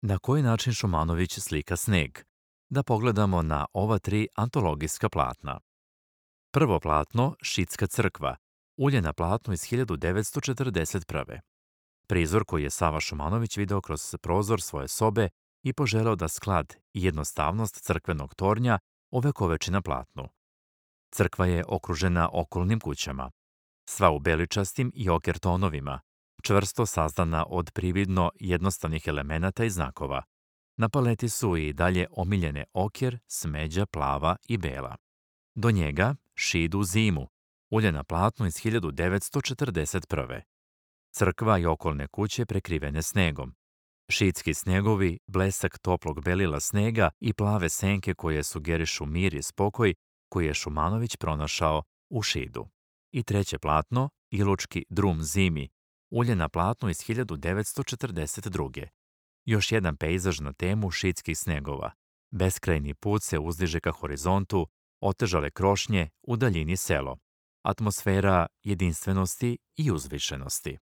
Na koji način Šumanović slika sneg? Da pogledamo na ova tri antologijska platna. Prvo platno, Šidska crkva, ulje na platnu iz 1941. Prizor koji je Sava Šumanović video kroz prozor svoje sobe i poželeo da sklad i jednostavnost crkvenog tornja ovekoveči na platnu. Crkva je okružena okolnim kućama, sva u beličastim i oker tonovima, čvrsto sazdana od prividno jednostavnih elemenata i znakova. Na paleti su i dalje omiljene oker, smeđa, plava i bela. Do njega Šid u zimu, ulje na platnu iz 1941. Crkva i okolne kuće prekrivene snegom. Šidski snegovi, blesak toplog belila snega i plave senke koje sugerišu mir i spokoj koji je Šumanović pronašao u Šidu. I treće platno, Ilučki drum zimi, ulje na platnu iz 1942. Još jedan pejzaž na temu šidskih snegova. Beskrajni put se uzdiže ka horizontu, otežale krošnje, u daljini selo. Atmosfera jedinstvenosti i uzvišenosti.